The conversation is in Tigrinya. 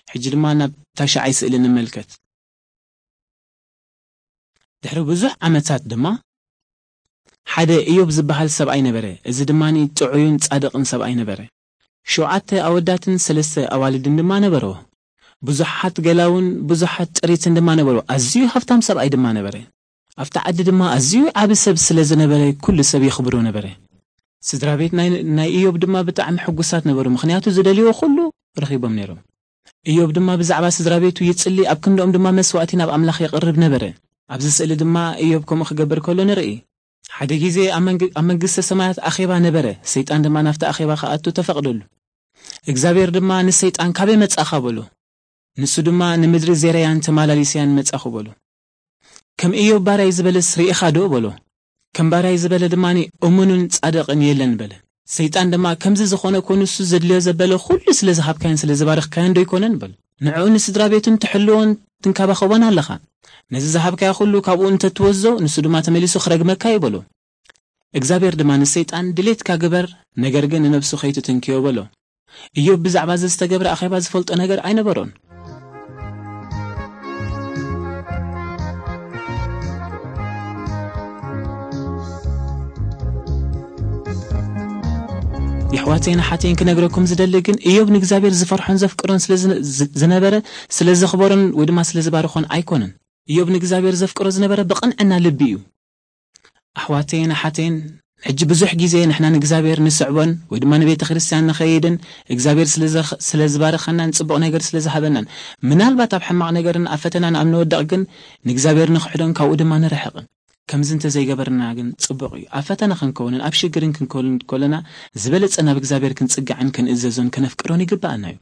ሕጂ ድማ ናብ ታሽዓይ ስእሊ ንመልከት። ድሕሪ ብዙሕ ዓመታት ድማ ሓደ ኢዮብ ዝበሃል ሰብኣይ ነበረ። እዚ ድማ ጥዑይን ጻድቕን ሰብኣይ ነበረ። ሸውዓተ ኣወዳትን ሰለስተ ኣዋልድን ድማ ነበርዎ። ብዙሓት ገላውን ብዙሓት ጥሪትን ድማ ነበሩ። ኣዝዩ ሃብታም ሰብኣይ ድማ ነበረ። ኣብቲ ዓዲ ድማ ኣዝዩ ዓቢ ሰብ ስለ ዝነበረ፣ ኩሉ ሰብ የኽብሮ ነበረ። ስድራ ቤት ናይ፣ ናይ ኢዮብ ድማ ብጣዕሚ ሕጉሳት ነበሩ፣ ምኽንያቱ ዝደልይዎ ኩሉ ረኺቦም ነይሮም። ኢዮብ ድማ ብዛዕባ ስድራ ቤቱ ይጽሊ፣ ኣብ ክንድኦም ድማ መስዋእቲ ናብ ኣምላኽ የቕርብ ነበረ። ኣብዚ ስእሊ ድማ ኢዮብ ከምኡ ክገብር ከሎ ንርኢ። ሓደ ግዜ ኣብ መንግ-፣ ኣብ መንግስተ ሰማያት ኣኼባ ነበረ። ሰይጣን ድማ ናብቲ ኣኼባ ክኣቱ ተፈቕደሉ። እግዚኣብሔር ድማ ንሰይጣን፣ "ካበይ መጻእኻ?" በሎ። ንሱ ድማ፣ "ንምድሪ ዜረያን ተማላሊስያን መጻኹ" በሎ። "ከም ኢዮብ ባርያይ ዝበለስ ርኢኻ ዶ?" በሎ። "ከም ባርያይ ዝበለ ድማ እሙንን ጻድቕን የለን" በለ። ሰይጣን ድማ፣ "ከምዚ ዝኾነ እኮ ንሱ ዘድልዮ ዘበለ ኩሉ ስለ ዝሃብካዮን ስለ ዝባረኽካዮን ዶ ኣይኮነን?" በሎ። "ንዕኡ ንስድራ ቤቱን ትሕልዎን ትንከባኸቦን ኣለኻ። ነዚ ዝሃብካዮ ኩሉ ካብኡ እንተትወስዶ፣ ንሱ ድማ ተመሊሱ ክረግመካ እዩ" በሎ። እግዚኣብሔር ድማ ንሰይጣን፣ "ድሌትካ ግበር፣ ነገር ግን ንነብሱ ከይትትንክዮ" በሎ። ኢዮብ ብዛዕባ እዚ ዝተገብረ ኣኼባ ዝፈልጦ ነገር ኣይነበሮን። የሕዋተይን ኣሓተይን ክነግረኩም ዝደሊ ግን፣ ኢዮብ ንእግዚኣብሔር ዝፈርሖን ዘፍቅሮን ስለ ዝነ-፣ ዝ-፣ ዝነበረ፣ ስለ ዘኽበሮን ወይ ድማ ስለ ዝባርኾን ኣይኮነን። ኢዮብ ንእግዚኣብሔር ዘፍቅሮ ዝነበረ ብቕንዕና ልቢ እዩ። ኣሕዋተይን ኣሓተይን፣ ሕጂ ብዙሕ ግዜ ንሕና ንእግዚኣብሔር ንስዕቦን ወይ ድማ ንቤተ ክርስቲያን ንኸይድን እግዚኣብሔር ስለ ዘኽ-፣ ስለ ዝባርኸናን ጽቡቕ ነገር ስለ ዝሃበናን፣ ምናልባት ኣብ ሕማቕ ነገርን ኣብ ፈተናን ኣብ ንወድቕ ግን ንእግዚኣብሔር ንኽሕዶን ካብኡ ድማ ንርሕቕን። ከምዚ እንተዘይገበርና ግን ጽቡቕ እዩ። ኣብ ፈተና ክንከውንን ኣብ ሽግርን ክንከውን ከለና ዝበለጸ ናብ እግዚኣብሔር ክንጽጋዕን ክንእዘዞን ከነፍቅሮን ይግብኣና እዩ።